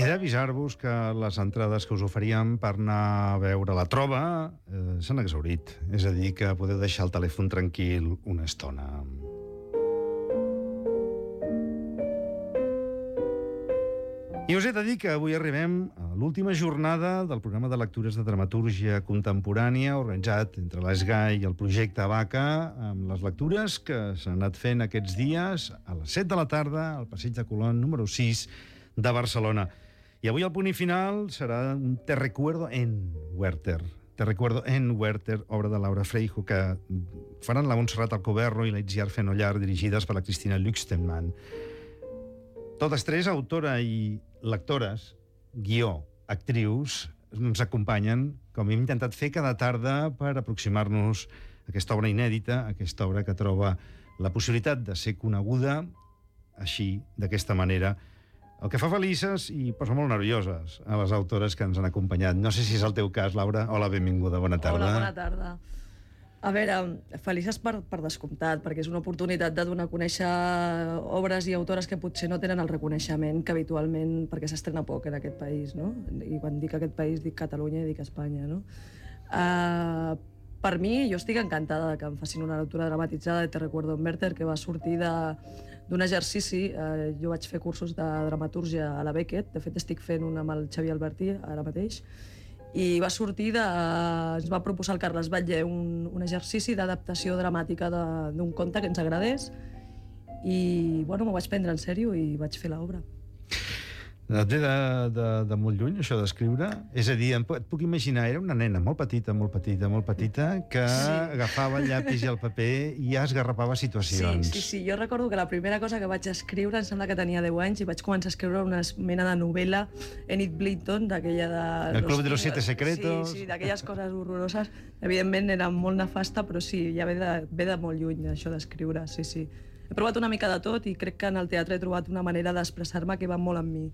d'avisar-vos que les entrades que us oferíem per anar a veure la Trova s'han exhaurit. És a dir, que podeu deixar el telèfon tranquil una estona. I us he de dir que avui arribem a l'última jornada del programa de lectures de dramatúrgia contemporània organitzat entre l'ESGAI i el projecte Abaca, amb les lectures que s'han anat fent aquests dies a les 7 de la tarda al Passeig de Colón número 6 de Barcelona. I avui el punt i final serà un Te recuerdo en Werther. Te recuerdo en Werther, obra de Laura Freijo, que faran la Montserrat Alcoberro i la Itziar Fenollar, dirigides per la Cristina Luchtenmann. Totes tres, autora i lectores, guió, actrius, ens acompanyen, com hem intentat fer cada tarda, per aproximar-nos a aquesta obra inèdita, aquesta obra que troba la possibilitat de ser coneguda així, d'aquesta manera, el que fa felices i posa molt nervioses a les autores que ens han acompanyat. No sé si és el teu cas, Laura. Hola, benvinguda, bona tarda. Hola, bona tarda. A veure, felices per descomptat, perquè és una oportunitat de donar a conèixer obres i autores que potser no tenen el reconeixement que habitualment, perquè s'estrena poc en aquest país, no? I quan dic aquest país dic Catalunya i dic Espanya, no? Per mi, jo estic encantada que em facin una lectura dramatitzada de Te recuerdo en Werther, que va sortir d'un exercici. Jo vaig fer cursos de dramatúrgia a la Beckett, de fet estic fent un amb el Xavier Albertí ara mateix, i va sortir ens va proposar el Carles Batlle un exercici d'adaptació dramàtica d'un conte que ens agradés i, bueno, m'ho vaig prendre en sèrio i vaig fer l'obra. Et ve de molt lluny, això d'escriure? És a dir, et puc imaginar, era una nena molt petita, que agafava el llapis i el paper i ja esgarrapava situacions. Sí, jo recordo que la primera cosa que vaig escriure, em sembla que tenia 10 anys, i vaig començar a escriure una mena de novel·la, Enid Blyton, d'aquella de... El Club de los Siete Secretos. Sí, d'aquelles coses horroroses. Evidentment era molt nefasta, però sí, ja ve de molt lluny, això d'escriure, sí. He provat una mica de tot i crec que en el teatre he trobat una manera d'expressar-me que va molt amb mi.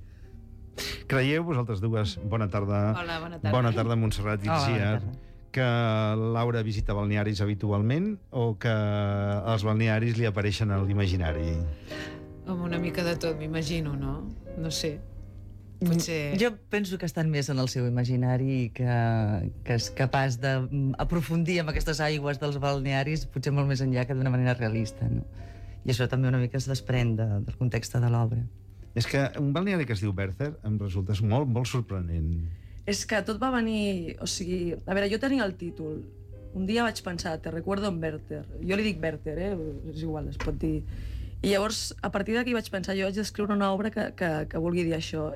Creieu, vosaltres dues, bona tarda. Hola, bona tarda. Bona tarda, Montserrat i Itziar, que Laura visita balnearis habitualment o que els balnearis li apareixen a l'imaginari? Home, una mica de tot, m'imagino, no? No sé. Potser... Jo penso que estan més en el seu imaginari i que és capaç d'aprofundir en aquestes aigües dels balnearis potser molt més enllà que d'una manera realista, no? I això també una mica es desprèn del context de l'obra. És que un balneari que es diu Werther em resulta molt, molt sorprenent. És que tot va venir... O sigui, a veure, jo tenia el títol. Un dia vaig pensar, Te recuerdo en Werther. Jo li dic Werther, és igual, es pot dir. I llavors, a partir d'aquí vaig pensar, jo haig d'escriure una obra que vulgui dir això.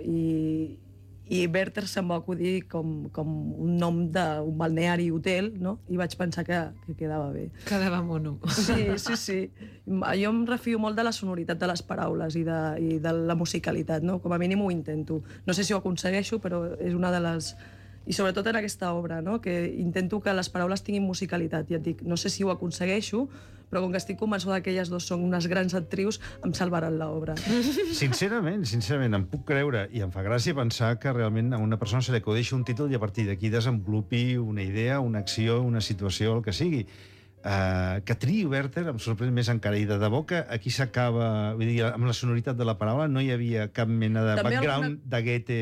I Werther se'm va acudir com un nom d'un balneari hotel, no? I vaig pensar que quedava bé. Quedava mono. Sí. Jo em refio molt de la sonoritat de les paraules i de la musicalitat, no? Com a mínim ho intento. No sé si ho aconsegueixo, però és una de les... I sobretot en aquesta obra, no? Que intento que les paraules tinguin musicalitat. Ja et dic, no sé si ho aconsegueixo, però com que estic convençuda que elles dues són unes grans actrius, em salvaran l'obra. Sincerament, em puc creure, i em fa gràcia pensar que realment a una persona se li acudeixi un títol i a partir d'aquí desenvolupi una idea, una acció, una situació, el que sigui. Que triï Werther em sorprèn més encara, i de debò que aquí s'acaba, vull dir, amb la sonoritat de la paraula no hi havia cap mena de background de Goethe...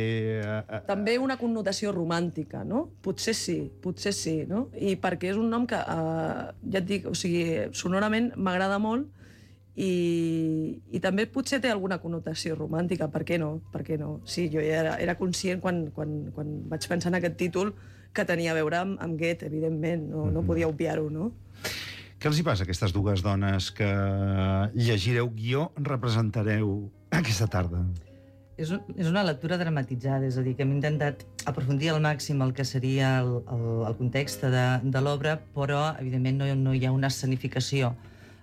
També una connotació romàntica, no? Potser sí, no? I perquè és un nom que, ja et dic, o sigui, sonorament m'agrada molt i també potser té alguna connotació romàntica, per què no? Sí, jo ja era conscient quan vaig pensar en aquest títol que tenia a veure amb Goethe, evidentment, no podia obviar-ho, no? Què els hi passa a aquestes dues dones que llegireu guió, representareu aquesta tarda? És una lectura dramatitzada, és a dir, que hem intentat aprofundir al màxim el que seria el context de l'obra, però, evidentment, no hi ha una escenificació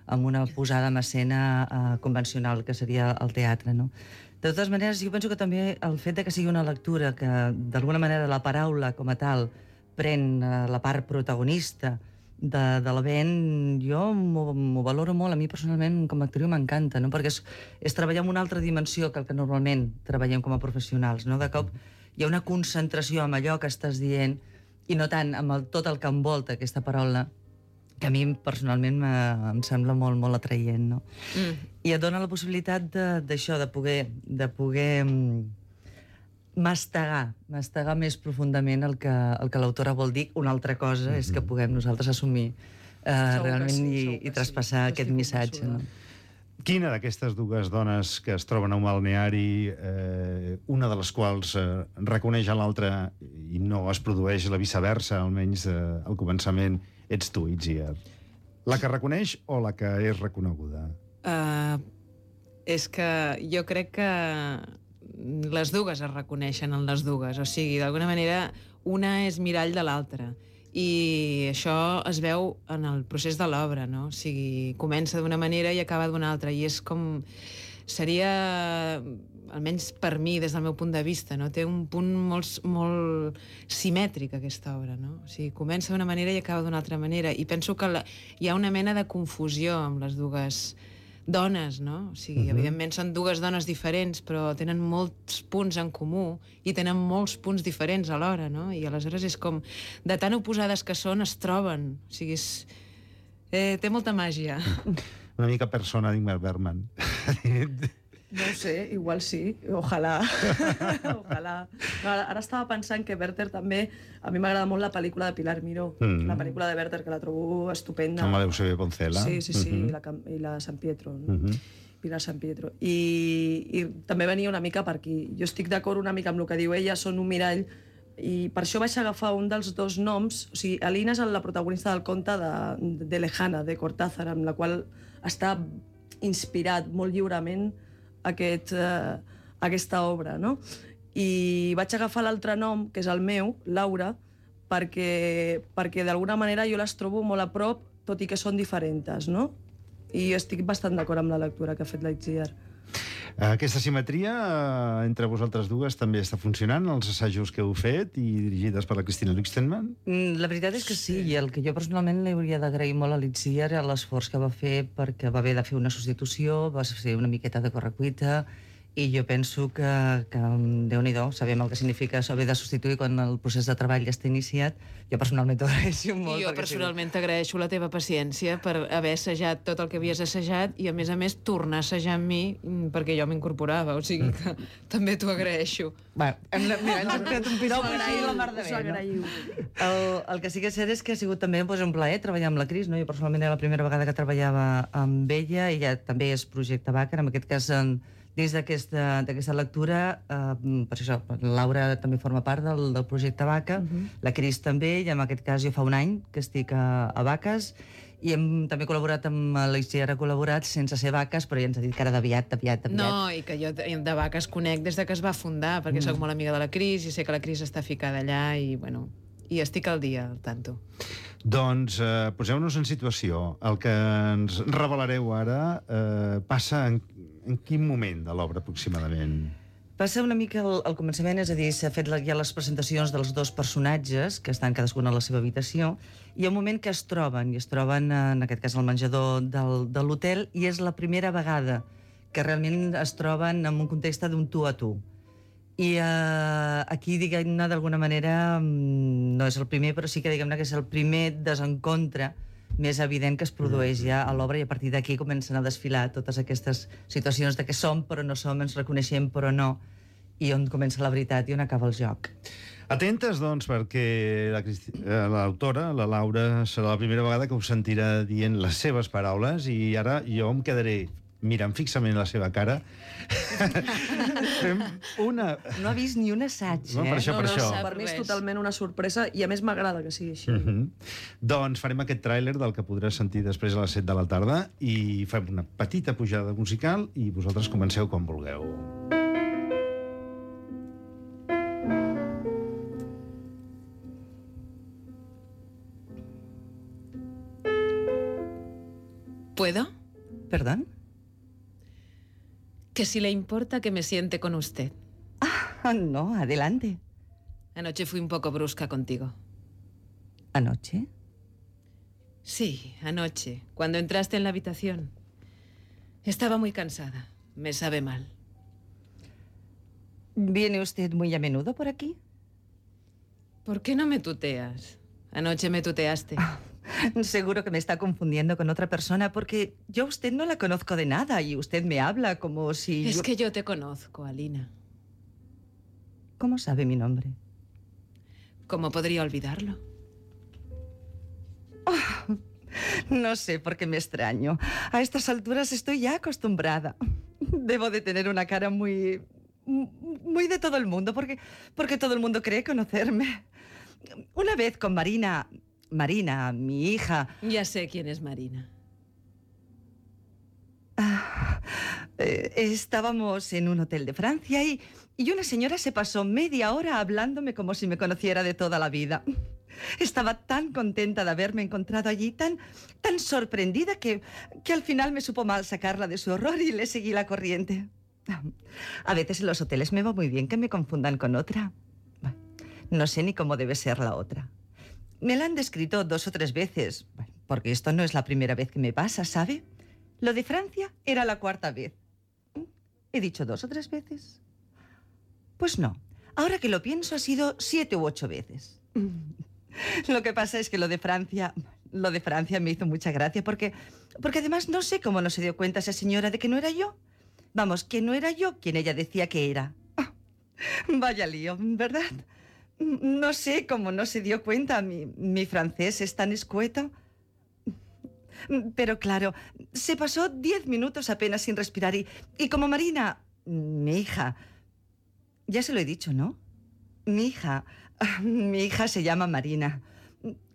amb una posada en escena convencional, que seria el teatre, no? De totes maneres, jo penso que també el fet de que sigui una lectura que, d'alguna manera, la paraula com a tal pren la part protagonista de l'event, jo m'ho valoro molt. A mi, personalment, com a actriu m'encanta, no? Perquè és treballar en una altra dimensió que el que normalment treballem com a professionals, no? De cop hi ha una concentració amb allò que estàs dient i no tant amb tot el que envolta aquesta paraula, que a mi personalment em sembla molt, molt atraient, no? I et dona la possibilitat d'això, de poder mastegar més profundament el que l'autora vol dir. Una altra cosa és que puguem nosaltres assumir realment i traspassar aquest missatge. No? Quina d'aquestes dues dones que es troben a un balneari, una de les quals reconeix a l'altra i no es produeix la viceversa, almenys al començament, ets tu, Itziar? La que reconeix o la que és reconeguda? És que jo crec que les dues es reconeixen en les dues. O sigui, d'alguna manera, una és mirall de l'altra. I això es veu en el procés de l'obra, no? O sigui, comença d'una manera i acaba d'una altra. I és com... Seria, almenys per mi, des del meu punt de vista, no? Té un punt molt simètric, aquesta obra, no? O sigui, comença d'una manera i acaba d'una altra manera. I penso que hi ha una mena de confusió amb les dues dones, no? O sigui, evidentment són dues dones diferents, però tenen molts punts en comú i tenen molts punts diferents alhora, no? I aleshores és com, de tan oposades que són, es troben. O sigui, té molta màgia. Una mica persona d'Ingmar Bergman. No ho sé, igual sí, ojalà. Ojalà. Ara estava pensant que Werther també... A mi m'agrada molt la pel·lícula de Pilar Miró, la pel·lícula de Werther, que la trobo estupenda. Amb la d'Eusebio Poncela. Sí, i la San Pietro. Pilar San Pietro. I també venia una mica per aquí. Jo estic d'acord una mica amb el que diu ella, són un mirall, i per això vaig agafar un dels dos noms. O sigui, Alina és la protagonista del conte de Lejana, de Cortázar, amb la qual està inspirat molt lliurement aquesta obra, no? I vaig agafar l'altre nom, que és el meu, Laura, perquè d'alguna manera jo les trobo molt a prop, tot i que són diferents, no? I estic bastant d'acord amb la lectura que ha fet la Itziar. Aquesta simetria entre vosaltres dues també està funcionant, els assajos que heu fet i dirigides per la Cristina Lichtenman? La veritat és que sí, i el que jo personalment li hauria d'agrair molt a l'Itziar era l'esforç que va fer, perquè va haver de fer una substitució, va fer una miqueta de correcuita, i jo penso que Déu-n'hi-do, sabem el que significa haver de substituir quan el procés de treball ja està iniciat. Jo personalment t'agraeixo molt. I jo personalment t'agraeixo la teva paciència per haver assajat tot el que havies assajat i, a més, tornar a assajar amb mi perquè jo m'incorporava. O sigui que també t'ho agraeixo. Mira, ens hem fet un piropo i la mar de bé, no? El que sí que és cert és que ha sigut també un plaer treballar amb la Cris, no? Jo personalment era la primera vegada que treballava amb ella, ella també és projecte Bàcar, en aquest cas dins d'aquesta lectura, per això, la Laura també forma part del projecte Vaca, la Cris també, i en aquest cas jo fa un any que estic a Vaques, i hem també col·laborat amb l'Itziar, ha col·laborat sense ser Vaques, però ja ens ha dit que ara aviat. No, i que jo de Vaques conec des de que es va fundar, perquè soc molt amiga de la Cris i sé que la Cris està ficada allà i, bueno, i estic al dia, al tanto. Doncs poseu-nos en situació. El que ens revelareu ara passa en quin moment de l'obra, aproximadament? Passa una mica al començament, és a dir, s'ha fet ja les presentacions dels dos personatges, que estan cadascun a la seva habitació, i hi ha un moment que es troben, en aquest cas al menjador de l'hotel, i és la primera vegada que realment es troben en un context d'un tu a tu. I aquí, diguem-ne, d'alguna manera, no és el primer, però sí que diguem-ne que és el primer desencontre més evident que es produeix ja a l'obra, i a partir d'aquí comencen a desfilar totes aquestes situacions de que som però no som, ens reconeixem però no, i on comença la veritat i on acaba el joc. Atentes, doncs, perquè l'autora, la Laura, serà la primera vegada que us sentirà dient les seves paraules, i ara jo em quedaré mirant fixament la seva cara. No ha vist ni un assaig, no, per això. Per mi és totalment una sorpresa, i a més m'agrada que sigui així. Doncs farem aquest tràiler del que podràs sentir després a les 7 de la tarda, i fem una petita pujada musical i vosaltres comenceu quan vulgueu. ¿Puedo? ¿Perdón? Que si le importa que me siente con usted. Ah, no, adelante. Anoche fui un poco brusca contigo. ¿Anoche? Sí, anoche, cuando entraste en la habitación. Estaba muy cansada. Me sabe mal. ¿Viene usted muy a menudo por aquí? ¿Por qué no me tuteas? Anoche me tuteaste. Seguro que me está confundiendo con otra persona, porque yo a usted no la conozco de nada y usted me habla como si... Es que yo te conozco, Alina. ¿Cómo sabe mi nombre? ¿Cómo podría olvidarlo? Oh, no sé por qué me extraño. A estas alturas estoy ya acostumbrada. Debo de tener una cara muy de todo el mundo, porque todo el mundo cree conocerme. Una vez con Marina, mi hija... Ya sé quién es Marina. Estábamos en un hotel de Francia y una señora se pasó media hora hablándome como si me conociera de toda la vida. Estaba tan contenta de haberme encontrado allí, tan sorprendida que al final me supo mal sacarla de su horror y le seguí la corriente. A veces en los hoteles me va muy bien que me confundan con otra. Bueno, no sé ni cómo debe ser la otra. Me la han descrito 2 o 3 veces, porque esto no es la primera vez que me pasa, ¿sabe? Lo de Francia era la 4ª vez. ¿He dicho 2 o 3 veces? Pues no. Ahora que lo pienso, ha sido 7 u 8 veces. Lo que pasa es que lo de Francia me hizo mucha gracia porque además no sé cómo no se dio cuenta esa señora de que no era yo. Vamos, que no era yo quien ella decía que era. Vaya lío, ¿verdad? No sé cómo no se dio cuenta. Mi francés es tan escueto. Pero claro, se pasó 10 minutos apenas sin respirar y como Marina, mi hija... Ya se lo he dicho, ¿no? Mi hija se llama Marina.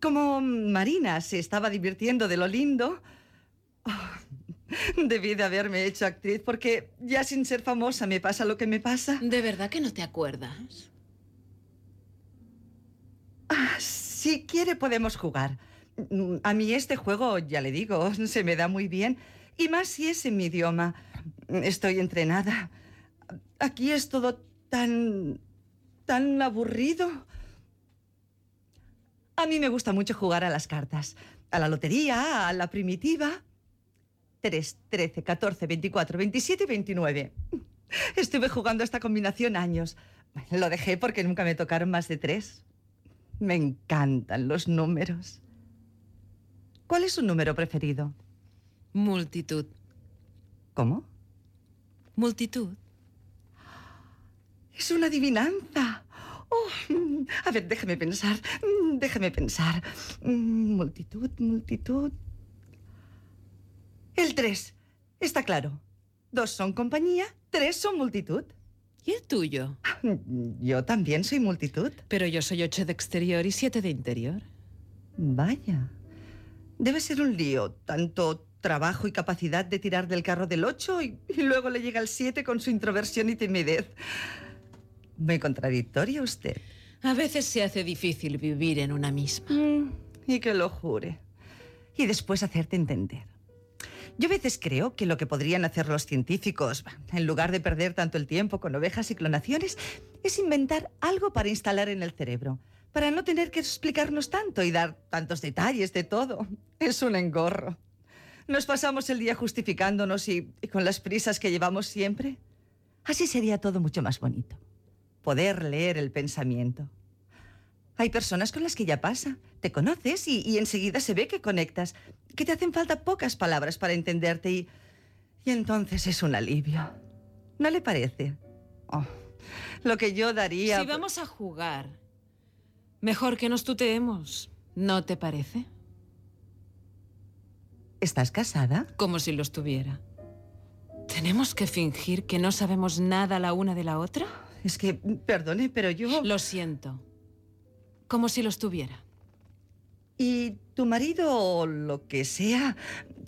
Como Marina se estaba divirtiendo de lo lindo... debí de haberme hecho actriz porque ya sin ser famosa me pasa lo que me pasa. ¿De verdad que no te acuerdas? Si quiere podemos jugar. A mí este juego, ya le digo, se me da muy bien. Y más si es en mi idioma. Estoy entrenada. Aquí es todo tan aburrido. A mí me gusta mucho jugar a las cartas. A la lotería, a la primitiva. 3, 13, 14, 24, 27 y 29. Estuve jugando esta combinación años. Lo dejé porque nunca me tocaron más de 3. Me encantan los números. ¿Cuál es su número preferido? Multitud. ¿Cómo? Multitud. Es una adivinanza. Oh, a ver, déjeme pensar. Multitud. El 3. Está claro. 2 son compañía, 3 son multitud. ¿Y el tuyo? Yo también soy multitud. Pero yo soy 8 de exterior y 7 de interior. Vaya. Debe ser un lío. Tanto trabajo y capacidad de tirar del carro del 8 y luego le llega el 7 con su introversión y timidez. Muy contradictoria usted. A veces se hace difícil vivir en una misma. Y que lo jure. Y después hacerte entender. Yo a veces creo que lo que podrían hacer los científicos, en lugar de perder tanto el tiempo con ovejas y clonaciones, es inventar algo para instalar en el cerebro, para no tener que explicarnos tanto y dar tantos detalles de todo. Es un engorro. Nos pasamos el día justificándonos y con las prisas que llevamos siempre. Así sería todo mucho más bonito. Poder leer el pensamiento. Hay personas con las que ya pasa. Te conoces y enseguida se ve que conectas, que te hacen falta pocas palabras para entenderte y entonces es un alivio. ¿No le parece? Oh, lo que yo daría... Si vamos a jugar, mejor que nos tuteemos, ¿no te parece? ¿Estás casada? Como si lo estuviera. ¿Tenemos que fingir que no sabemos nada la una de la otra? Es que, perdone, pero yo... Lo siento. Como si lo estuviera. ¿Y tu marido o lo que sea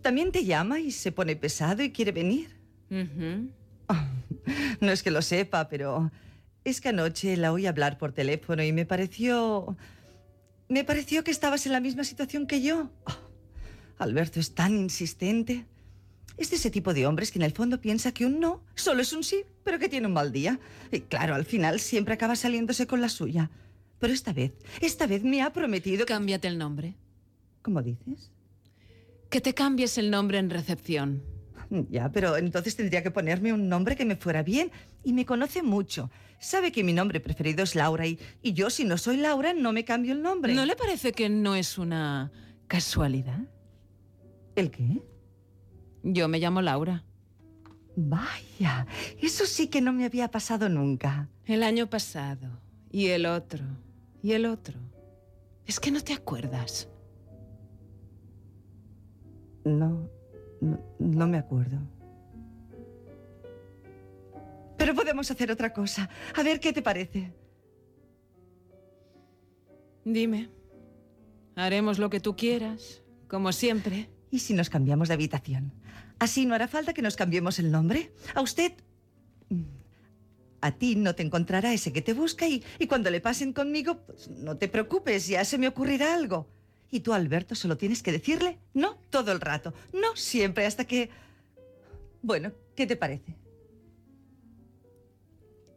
también te llama y se pone pesado y quiere venir? Oh, no es que lo sepa, pero es que anoche la oí hablar por teléfono y me pareció que estabas en la misma situación que yo. Oh, Alberto es tan insistente. Es de ese tipo de hombres que en el fondo piensa que un no solo es un sí, pero que tiene un mal día. Y claro, al final siempre acaba saliéndose con la suya. Pero esta vez me ha prometido... Cámbiate el nombre. ¿Cómo dices? Que te cambies el nombre en recepción. Ya, pero entonces tendría que ponerme un nombre que me fuera bien. Y me conoce mucho. Sabe que mi nombre preferido es Laura y yo, si no soy Laura, no me cambio el nombre. ¿No le parece que no es una casualidad? ¿El qué? Yo me llamo Laura. Vaya, eso sí que no me había pasado nunca. El año pasado, y el otro, y el otro. Es que no te acuerdas. No me acuerdo. Pero podemos hacer otra cosa. A ver, ¿qué te parece? Dime. Haremos lo que tú quieras, como siempre. ¿Y si nos cambiamos de habitación? Así no hará falta que nos cambiemos el nombre. A usted... A ti no te encontrará ese que te busca y cuando le pasen conmigo, pues no te preocupes, ya se me ocurrirá algo. Y tú, Alberto, solo tienes que decirle no todo el rato, no siempre, hasta que... Bueno, ¿qué te parece?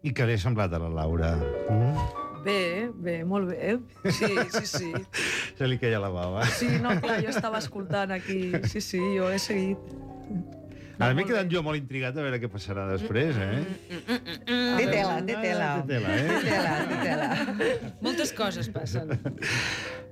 I què li ha semblat a la Laura? Bé, molt bé. Sí. Se li queia la bava. Sí, no, clar, jo estava escoltant aquí. Sí, jo he seguit. Ara m'he quedat jo molt intrigat a veure què passarà després, Té tela. Té tela. Moltes coses passen.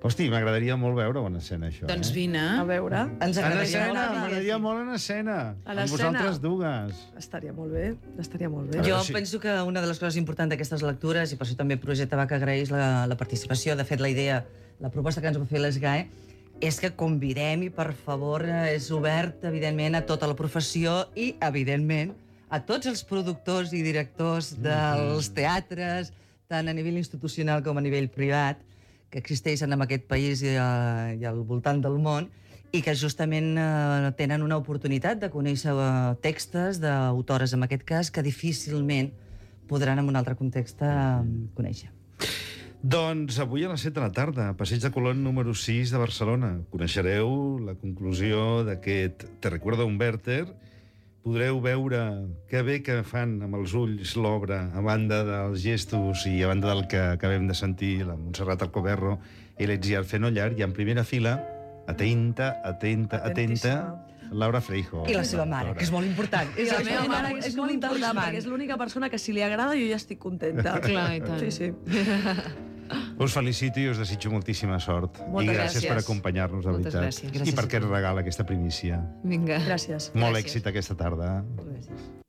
Hosti, m'agradaria molt veure una escena, això. Doncs vine. A veure. Ens En agradaria escena, molt. m'agradaria molt en escena. A Amb l'escena? vosaltres dues. Estaria molt bé, estaria molt bé. A Jo veure si- penso que una de les coses importants d'aquestes lectures, i per això també el projecte Vaca agraeix la participació, de fet la idea, la proposta que ens va fer l'ESGAE, és que convidem i, per favor, és obert, evidentment, a tota la professió i, evidentment, a tots els productors i directors dels teatres, tant a nivell institucional com a nivell privat, que existeixen en aquest país i al voltant del món, i que justament tenen una oportunitat de conèixer textos d'autores, en aquest cas, que difícilment podran, en un altre context, conèixer. Doncs avui a les 7 de la tarda, Passeig de Colón número 6 de Barcelona. Coneixereu la conclusió d'aquest Te recuerdo un Werther. Podreu veure que bé que fan amb els ulls l'obra, a banda dels gestos i a banda del que acabem de sentir, la Montserrat Alcoberro i l'Etziar Fenollar, i en primera fila, atenta, Atentíssima. Laura Freijo. I la seva mare, que és molt important. És la meva mare és molt important, perquè és l'única persona que si li agrada jo ja estic contenta. Clar, i tant. Sí. Us felicito i us desitjo moltíssima sort. Moltes I gràcies per gràcies. acompanyar-nos, de Moltes veritat. gràcies. I Gràcies per a aquest tu. regal, aquesta primícia. Vinga. Gràcies. Molt Gràcies. èxit aquesta tarda. Gràcies.